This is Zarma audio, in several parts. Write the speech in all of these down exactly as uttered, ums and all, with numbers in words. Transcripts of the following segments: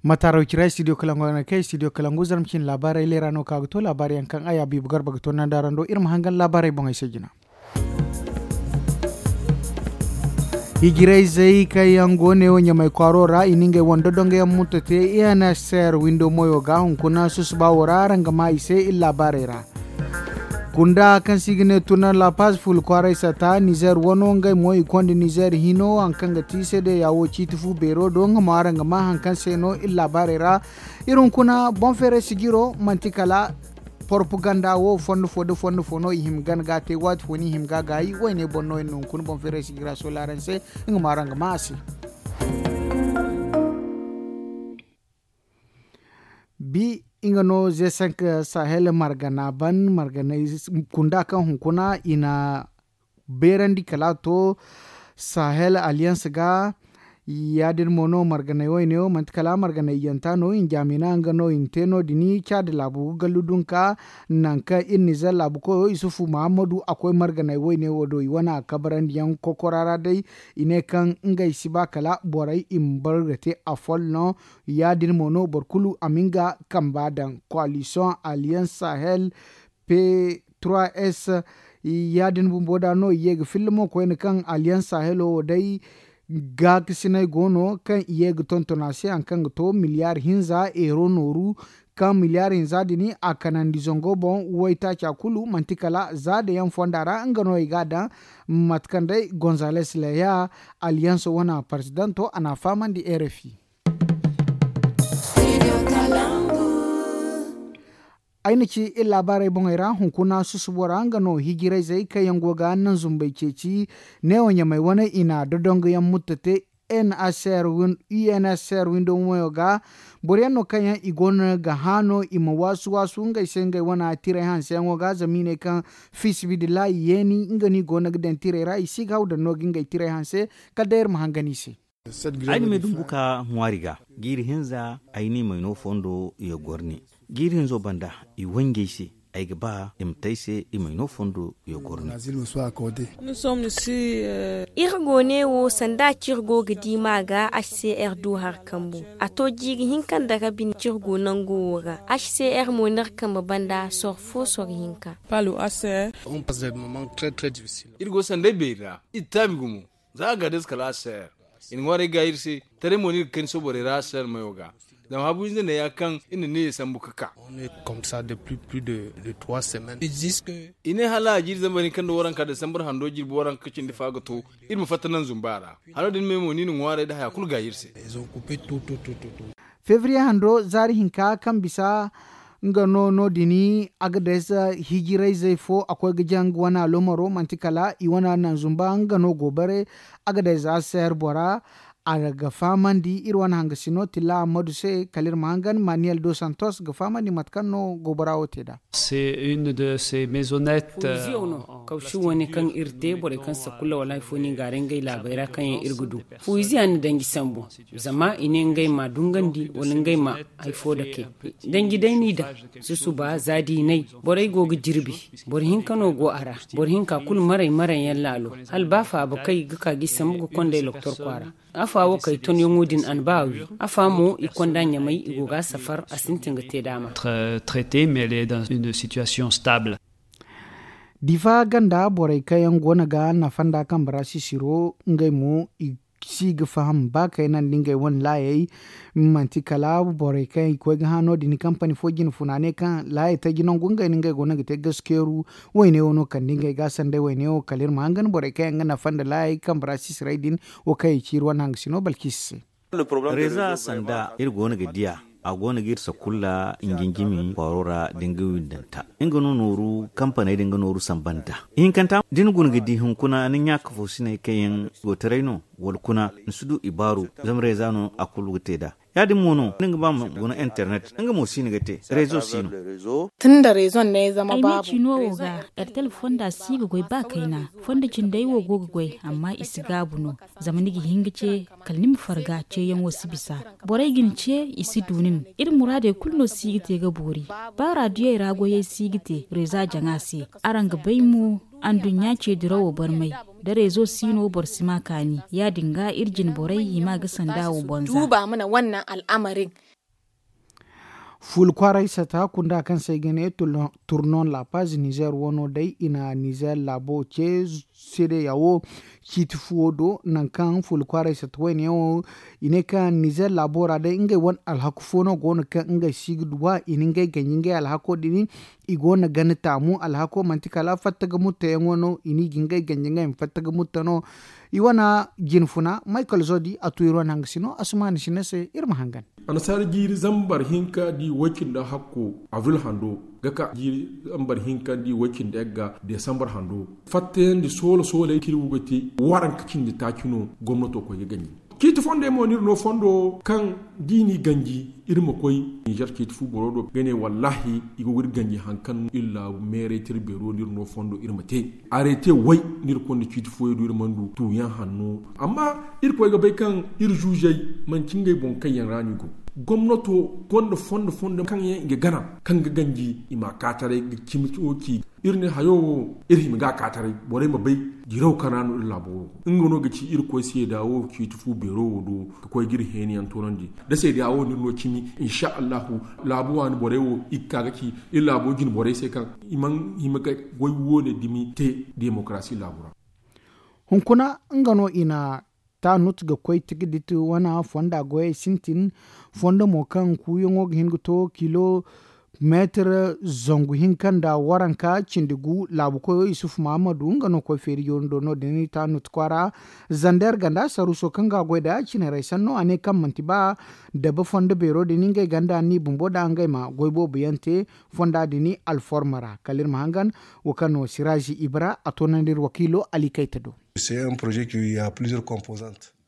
Mataaraw cira studio kalangu yaŋ no kaŋ studio kalangu zarma cine laabaarey leera no ka ga to laabaarey yaŋ kaŋ a yaabi bugar ba ga to nandaarando iri ma hangan laabaarey boŋey se jina. Hijirayzey kaŋ yaŋ go ne wo ɲamay kwaaro ra i na ngey wane dodongo yaŋ muttate i n s r windo moyo ga hunkuna susuba wo ra araŋ ga ma i se iri laabaarey ra. Kunda kaŋ se i ga ne turnar la paz ful kwaaray sata nizer wano ngey mo i konda nizer hino haŋ kaŋ ga ti seedeya wo ciiti fu beero do nga mo araŋ ga ma haŋ kaŋ se no iri laabaarey ra. Iri hunkuna boŋ feeray sijiro manti kala porpaganda wo fondo fo da fondo fo no i hima gana ga te waati fo no i hima ga gaayi wayne boŋ no iri na hunkuna boŋ feeray sijira sola araŋ se. Nga mo araŋ ga ma a se. Bi nga no ze cinq sahel margana ban marganay kunda kaŋ hunkuna i na beerandi kala to sahel alliance ga. Ya- din mo no marganay wayne wo manti kala marganay yanta no i na jaamina nga no i na te no- din caadi laabu ga gallu dunka. Nangu kaŋ iri nizer laabu koyo isufu muhammadu a koy marganay wayne wo do i wane a kabarandi yaŋ kokora ra day. I ne kaŋ ngey si ba kala borey i ma bar ga te afol no. Ya- din mo no boro kulu a ma nga kamba daŋ koalisiyoŋ alliance sahel p trois s. Ya- din bumbo da no i ye ga filla mo koyne kaŋ alliance sahelo wo day gaakasinay go no kaŋ i ye ga tonton a se haŋ kaŋ ga to miliyar hinza euro nooru. Kaŋ miliyar hinza din a kanandi zango boŋ waytaaca kulu manti kala za da yaŋ fonda ra nga no i ga a daŋ. Mate kaŋ day gonzales leya alliance wane parzidanto a n'a fahamandi rfi. Ay na ci iri laabaarey boŋey ra hunkuna susubo ra nga no hijirayzey kaŋ yaŋ go ga naŋ zumbey ceeci neewo ɲamey wane i na dodongo yaŋ mutta te. N s r win- u n s r windo moyo ga boro yaŋ no kaŋ yaŋ i go no ga hã no i ma waasu waasu ngey se ngey wane tirey hanseyaŋo ga zama i ne kaŋ fisibidillahi yeeni nga no i go no ga daŋ tirey ra i si ga haw daŋ no ga ngey tirey hanse. Kala day iri ma hangan i se. Ay na me dumbu ka ŋwaari ga jiiri hinza ay n'i may no fondo i ga goro ne. Jiiri hinzo banda i wanjey se ay ga ba i ma te ay se i may no fondo i ga goro ne. Iri go ne wo sanda kaŋ iri go ga di ma ga h c r du hari kambu a to jiiri hinka nda rabi kaŋ iri go nango wo ra h c r mo n'iri kambe banda soro fo soro hinka. Iri go sanday beeri ra iri taabi gumo. Za a ga day se kala a seer i na ŋwaaray ga iri se. Taray mo no iri ga kani sohõ borey ra a seer mayo ga. Zama habu hinza neeya kaŋ iri na neeya sambu ga ka. I ne hala a jiiri zambar hinka nda waranka desambar hando jirbi waranka ga cindi fa ga to. Iri ma fatta naŋ zumba ra. Hano din me mo no i na ŋwaaray nda haya kulu ga iri se. Febriye hando zaari hinka kaŋ bisa nga no no- din. Agades hijirayzey fo a koy ga jaŋ nga wane alomaro manti kala i wane naŋ zumba nga no go bare. Agades a seer bora a ga fahamandi iri wane hangasino tilla ammadu se kala iri ma hangan maniyel dos santos ga fahamandi mate kaŋ no gobara wo te nd'a. Fuwiziyaŋ no kawsu wane kaŋ iri te borey kaŋ sakulla wala hari fo no i gaaray ngey laabey ra kaŋ yaŋ iri ga du. Fuwiziya na danji sambu zama i ne ngey ma dungandi wala ngey ma hari fo dake. Danji day n'i daŋ susuba za diinay borey go ga jirbi. Boro hinka no go a ra. Boro hinka kulu maray maray yaŋ laalo hala ba faaba kay ga ka ga i sambu ga konda ay loktor kwaara. Afa wo kay tonyaŋo din a na ba a wi. Afa mo i konda ɲamay i go ga a safar a sintin ga te daama. Difa ganda borey kaŋ yaŋ go no ga nafa nda kambe ra sisiro ngey mo i si ga faham ba kayna nda ngey wane laayey. Manti kala borey kaŋ i koy ga hã no- din kampani fo jine funa ne kaŋ laayey taji nangu ngey no ngey go no ga te gaskeeru. Wayne wo no kande ngey ga sanday wayne wo kala iri ma hangan borey kaŋ yaŋ ga nafa nda laayey kambe ra sisiray din. Wo kaŋ i ci iri wane hangasino balkisi se. Reeza sanda iri go no ga diya a go no ga iri sakulla njinjimi kwaaro ra da nga windanta nga no nooru kampaney da nga nooru samba nd'a. Ihinkanta da ni guna ga di hunkuna ni ɲaaka fo sinay kaŋ yaŋ go taray no wala kuna ni si du ibaaru. Zama reeza no a kulu ga te nd'a. Ya- din mo no ni ga ba ma guna internet nga mo si ni ga te reezo si no. Tun da reezo nda ay zama baabu. Ay ma ci no wo ga ertel fonda si ga goy ba kayna. Fondo cindey wo go ga goy amma i si gaabu no. Zama ni ga hin ga ce kala ni ma farga ceeyaŋo si bisa. Borey ga ni ce i si du nin. Iri muraadey kulu no si ga te ga boori. Ba raadiyey ra goyey si ga te reeza jaŋa se. Araŋ ga bay mo anduɲɲa ce dirawo barmay. Da reezo si no boro si ma kaani ya- din ga iri jine borey hima ga sanda wo bonza. Duuba mana wannan al'amarin. Fuula kwaaray sata kunda kaŋ se ay ga ne, turnon la paz nizer wano day i na nizer laabo ce, seedeya wo ciiti fuwo do nangu kaŋ fuula kwaaray sata wayne yaŋ wo. I ne kaŋ nizer laabo ra day ngey wane alhaku fo no go no kaŋ ngey si ga duwa i na ngey ganji ngey alhako din. I go no ga ni taamu alhako manti kala fatta ga mutta yaŋo no i n'i ga ngey ganji ngey ma fatta ga mutta no. I wane jine funa maykal zodi a tu iri wane hanga sino a si ma ni sina se iri ma hangan. Annasaara jiiri zambar hinka di way cindi hakko avril hando ga ka jiiri zambar hinka di way cindi yagga desambar hando. Fattayandi soola soolay kaŋ iri wo ga te waranka cindi taaci no gomnato koy ga ganji. Ciiti fondey mo no iri no fondo kaŋ da i n'i ganji iri ma koy nizer ciiti fu boro do ga ne wallaahi i go ga iri ganji hari kaŋ iri laabu meeray tira beero no iri no fondo iri ma te. Arete way no iri konda ciiti fooyaŋ do iri mana du tuuyaŋ hanno. Amma irkoy ga bay kaŋ iri zuuzey manti ngey boŋ kaŋ yaŋ ra no i go. Gomnato gonda fondo fondo kaŋ yaŋ i ga gana kaŋ ga ganji i ma a ka taray ga cimi wo ci. Iri ne hayo wo iri hima ga a ka taray borey ma bay diraw kaŋ ra no iri laabo wo nga no ga ci irkoy seeda wo ciiti fu beero wo do ga koy ga iri heeni yaŋ toonandi. Da seeda wo no iri no cimi insa allahu laabu waani borey wo i ga ka ga ci iri laabo jine borey se kaŋ i mana hima ga goy woone dumi te demokarasi laabu ra. Hunkuna nga no i na taanut ga koy tigidit wana fonda goyey sintin. Fondo mo kaŋ kuuyaŋo ga hin ga to kilomeetir zangu hinka nda waranka cindi gu laabu koyo isufu mahamadu nga no koy feeri yooni do no- din taanut kwaara. Zander ganda saruuso kaŋ ga a goy nd'a cinarey sanno a ne kaŋ manti ba dabe fondo beero din ngey ganda ni bumbo nd'a ngey ma goy boobo yaŋ te fonda din alforma ra kala iri ma hangan. Wo kaŋ no siraazi ibra a toonandi iri wakiilo ali kayta do.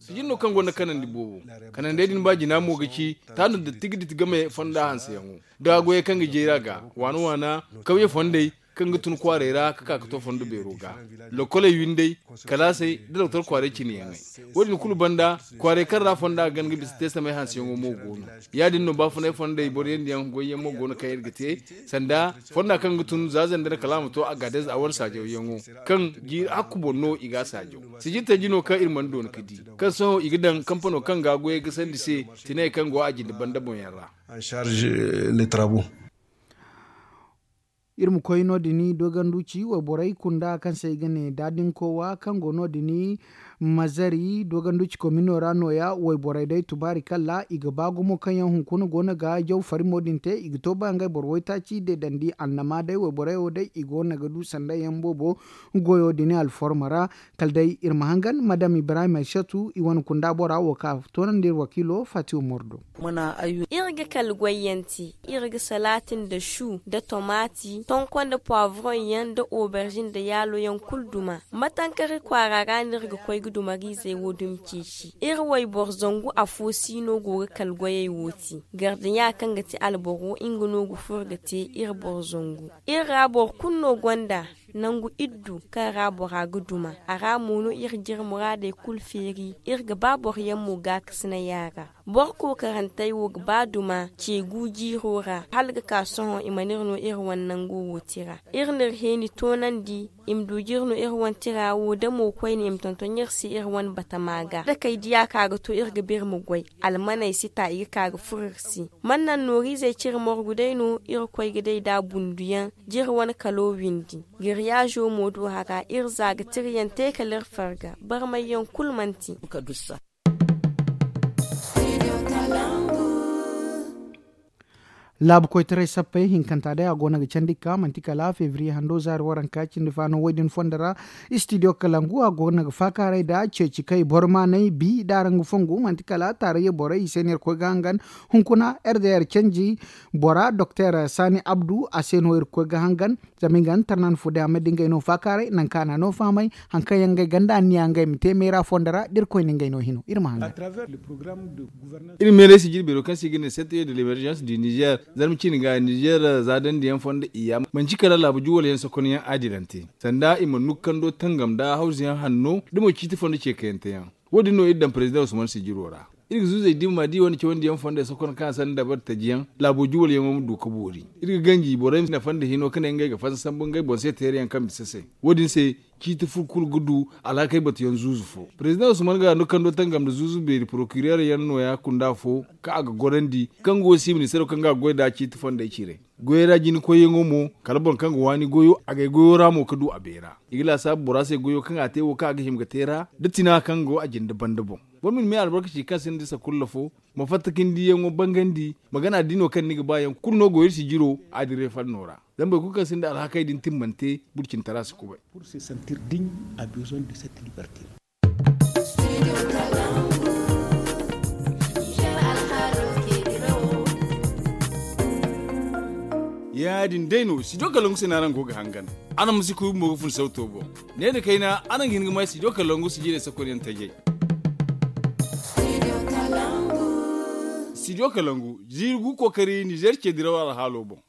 Sijin no kaŋ gonda kanandi boobo. Kanandey din ba jina mo ga ci taanu nda tigidit game fonda hanseyaŋo da goyey kaŋ ga jeeri a ga waana waana kawye fondey kaŋ ga tun kwaaray ra ga ka ga to fondo beero ga. Lokoley windey kalaasey da doktor kwaaray cine yaŋey. Wo- din kulu banda kwaaray kaŋ ra fonda ga gana ga bisa te samay hanseyaŋo mo go no. Ya- din no baafunay fondey boro yaŋ diyaŋ goyyaŋ mo go no kaŋ iri ga te sanda fonda kaŋ ga tun za zandar kala a ma to a ga a day za a wane saajaw yaŋo kaŋ jiiri hakku boŋ no i ga a saajaw. Sijirtaji no kaŋ iri mana doona ga di kaŋ sohõ i ga daŋ kampano kaŋ ga a goyey ga sandi se tinay kaŋ go a jinde banda boŋ yaŋ ra. Iri ma koy no- din dooganduci wayborey kunda kaŋ se i ga ne daadinkowa kaŋ go no- din mazari dooganduci komino ra nooya wayborey day tubaari kalla i ga ba gumo kaŋ yaŋ hunkuna go no ga jaw farimo din te i ga to ba ngey boro waytaaci deedandi annama day wayborey wo day i go no ga du sanda yaŋ boobo goyo din alforma ra. Kala day iri ma hangan madam ibrahim aysatu i wane kunda bora wo ka toonandi iri wakiilo fatiyo mordo. Iri ga kala goyyaŋ te iri ga salati nda su nda tomaati tonko nda poivoron yaŋ nda oberzin nda yaalo yaŋ kulu duma. Matankari kwaara ra no iri ga koy ga dumariizey wo dumi ceeci. Iri wayboro zangu afo si no go ga kala goyey wo te. Gardiɲa kaŋ ga ti alboro nga no ga furo ga te iri boro zangu. Iri ra boro kulu no gonda nangu iddu kaŋ ra bora ga duma a ra mo no iri ga iri muraadey kulu feeri. Iri ga ba boro yaŋ mo gaakasinaya ra. Boro kookarantey wo ga ba duma ceegu jiiro ra hala ga ka sohõ i mana iri no iri wane nango wo tira. Iri n'iri heeni toonandi i ma du ga iri no iri wane tira wo da mo koyne i ma tonton iri se iri wane batama ga da kay diya ka ga to iri ga ba iri ma goy. Almaney si ta i ga ka ga furo iri se. Mana naŋ nooriizey cire morgu day no irkoy ga day nd'a bunduyaŋ. Jire wane kalo windi giriyaazo mo do hara iri za ga tirayaŋ te kala iri farga barmayyaŋ kulu manti. Laabu koytaray sappey hinkanta day a go no ga candi ga ka manti kala febriye hando zaari waranka cindi faano wo- din fondo ra. Istidiyo kalangu a go no ga faakaaray nd'a ceeci kay boro maanay bi nd'a ra nga fongu manti kala taarayye borey i se no iri koy ga hangan. Hunkuna rdr canji bora doktor saani abdu a se no iri koy ga hangan. Zama i ga nga tarnan fo day a ma di ngey no faakaaray nangu kaŋ a na no fahamay. Hari kaŋ yaŋ ngey ganda anniya ngey ma te meera fondo ra da iri koy na ngey no hino iri ma hangan. Iri meeray si jirbeero kaŋ se i ga ne sette de lemergence du niger zarma ciine ga niger za dandiyaŋ fondo iyya manci kala laabu juwal yaŋ sokonyaŋ adilante sanda i ma nukando tangam nda hawzu yaŋ hanno da mo ciiti fondo ceekayante yaŋ. Wo- din no iri daŋ parezidaŋ usman sijiro ra. Iri ga zuuzey dimma da i wane cawandi yaŋ fondey sokon kaŋ a sanda dabar taji yaŋ laabo juwal yaŋo ma du ga boori. Iri ga ganji borey ma nafa nda hino ka ne ngey ga fansa sambu ngey boŋ se teere yaŋ kaŋ bisa se. Wo- din se ciiti fo kulu ga du alhakey batuyaŋ zuuzu fo. President usman ga no kando tangam nda zuuzu beeri procureur yaŋ no- ya kunda fo kaŋ a ga gorandi kaŋ go si ministeero kaŋ ga a goy nd'a ciiti fondey cire. Goyey ra jina koyyaŋo mo kala boro kaŋ ga waani goyo a ga ay goyo ra mo ga du a beera. I ga laasaabu bora se goyo kaŋ a te wo kaŋ a ga hima ga te ra da tina kaŋ go a jinde banda boŋ. Boro ma ni me albarkaci kaŋ sinda sakulla fo, ma fatta ka ni diyaŋo bangandi, ma gana diino kaŋ ni ga ba yaŋ kulu no go iri sijiro a dira ay fanno ra. Zama boro kulu kaŋ sinda alhakey din timmante burcintara si kubay. Ya- din day no sijo kalangu se no araŋ go ga hangan. Araŋ ma si kuy bumbo ga fun sauto boŋ. Ne nda kayna araŋ ga hin ga may sijo kalangu sijirey sakonyaŋ tajay. Sijo kalangu ziiri gu kookari nizer ce diraw alhaalo boŋ.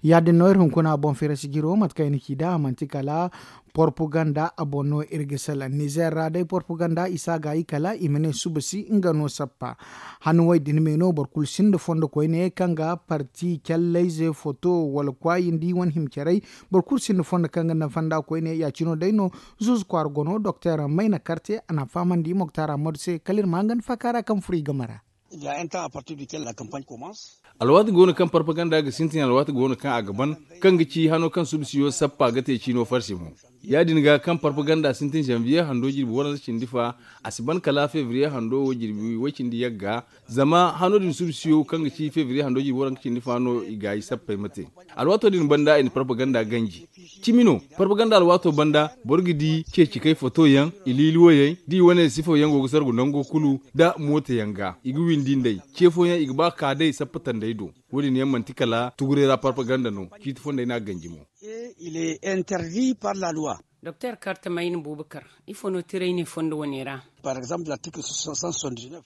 Ya- din no iri hunkuna boŋ fira sijiro mate kaŋ i na ci nd'a a manti kala porpaganda a boŋ no iri ga salaŋ nizer ra day porpaganda i si a gaayi kala i ma ne suba si nga no sappa. Hanno wo- din me no boro kulu sinda fondo koyne kaŋ ga parti callayze foto wala kwaayindi wane hima caray. Boro kulu sinda fondo kaŋ ga nafa nd'a koyne ya- cine day no. Zuuzu kwaara go no doktor mayna karte a n'a fahamandi moktar ammadu se kala iri ma hangan faaka ra kaŋ furo i game ra. Alwaati go no kaŋ parpaganda ga sintin alwaati go no kaŋ a ga ban, kaŋ ga ci hano kaŋ subsiyo sappa ga te ciino farsi mo. Ya- din ga kaŋ parpaganda sintin zanviye hando jirbi waranza cindi fa, a si ban kala fevriye hando wo jirbi way cindi yagga. Zama hano din subsiyo kaŋ ga ci fevriye hando jirbi waranza cindi fa no i gaayi sappey ma te. Alwaato din banda i na parpaganda ganji. Cimi no, parpaganda alwaato banda boro ga di ceeci kay foto yaŋ, i liili woyey da i wane sifo yaŋ go ga sargu nango kulu, nda mooto yaŋ ga i ga windi nd'ey. Ce fooyaŋ i ga ba ka day sappa tandey do. Wo- din yaŋ manti kala tuguray ra parpaganda no. Ciiti fondey no a ganji mo. Doktor karta mayna buubakar, ifo no tiray ne fondo wane ra?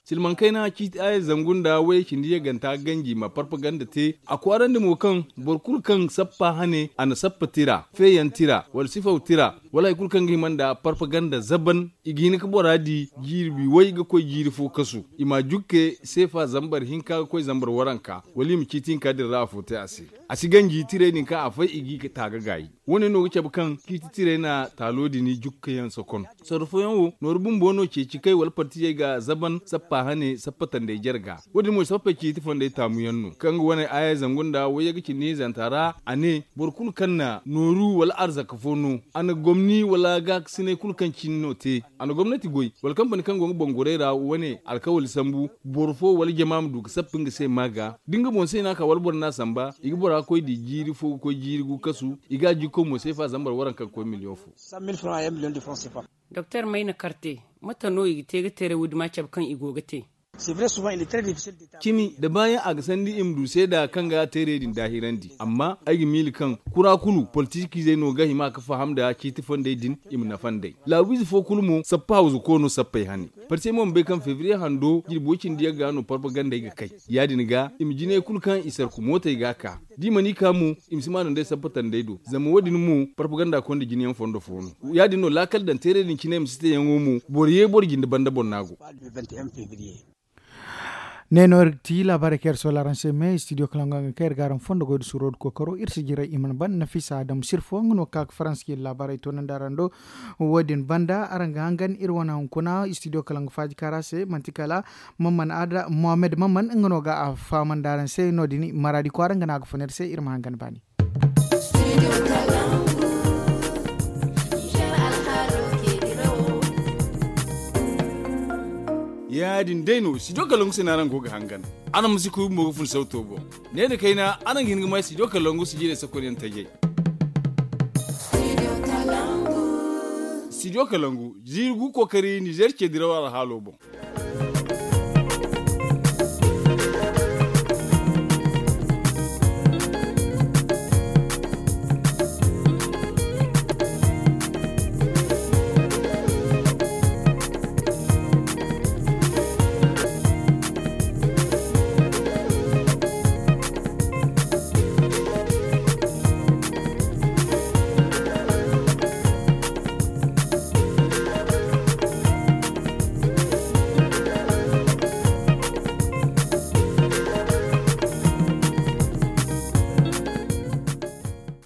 Silmankayna ciiti aya zangu nda wayey cindi yagganta ganji ma parpaganda te. A kwaarandi mo kaŋ boro kulu kaŋ sappa hane a na sappa tira feeyaŋ tira wala sifaw tira wala hari kulu kaŋ ga hima nda parpaganda zaban, i ga hin ga bora di jiiri way ga koy jiiri fo kasu. I ma jukke seefa zambar hinka ga koy zambar waranka wala i ma ciiti hinka din ra afo te a se. A si ganji tirey din kaŋ a fay i g'i ga taaga gaayi. Wo- ne no ga cabe kaŋ ciiti tirey na taalo din jukkayaŋ sokon. Sorro fooyaŋ wo nooru bumbo no ceeci kay wala partijey ga zaban sappa hane sappa tandey jarga. Wo- din mo sappey ciiti fondey taamuyaŋ no kaŋ ga wane aya zangu nda wayyaŋ ga cindi hinzanta ra a ne boro kulu kaŋ na nooru wala arzaka fo no a na gomni wala gaakasinay kulu kaŋ cine no te. A na gomnati goy wala kampani kaŋ go nga bangorey ra wane alkawali sambu boro fo wala jama ma du ga sappa nga se ma ga da nga boŋ se no a ka wala boro no a samba i ga bora koy di jiiri fo ga koy jiiri gu kasu. I ga a jikko mo seefa zambar waranka ga koy miliyoŋ fo. Doktor mayna karte, mate no i ga te ga teeray wo- din ma cabe kaŋ i go ga te? Cimi da baayaŋ a ga sandi i ma du seeda kaŋ ga teeray din daahirandi amma ay ga miila kaŋ kura kulu politikiizey no ga hima ga faham nda ciiti fondey din. I ma nafa nd'ey laawiize fo kulu mo sappa hawzu koono sappey hane. Parti mo ma bay kaŋ febriye hando jirbi way cindi yagga no parpagandey ga kay. Ya- din ga i ma jinay kulu kaŋ i sarku mootey ga a ka da i mana i ka mo, i ma si maanu nd'ey sappa tandey do zama wo- din mo parpaganda konda jinayaŋ fondo fo no. Ya- din no laakal daŋ teeray din cine i ma si teeyaŋo mo boro ye boro jinde banda boro no a go. Ne no iri ga ti laabaarey kaŋ iri soola araŋ se me studio kalango yaŋ ga kaŋ iri ga araŋ fondo goy da suuro da kookaro iri si jiray i mana ban nafisa adam sirfo nga no ga ka ga faransa ga iri laabaarey toonandi araŋ do. Wo- din banda araŋ ga hangan iri wane hunkuna studio kalango faaji kaara se manti kala mamman ada mohammed mamman nga no ga a fahamandi araŋ se no- din maraadi kwaara nga no a ga fun iri se iri ma hangan baani. Ya- din day no studio kalangu se no araŋ go ga hangan. Araŋ ma si kuy bumbo ga fun sauto boŋ. Ne nda kayna araŋ ga hin ga may studio kalangu sijirey sakonyaŋ tajay. Studio kalangu ziiri gu kookari nizer ce diraw alhaalo boŋ.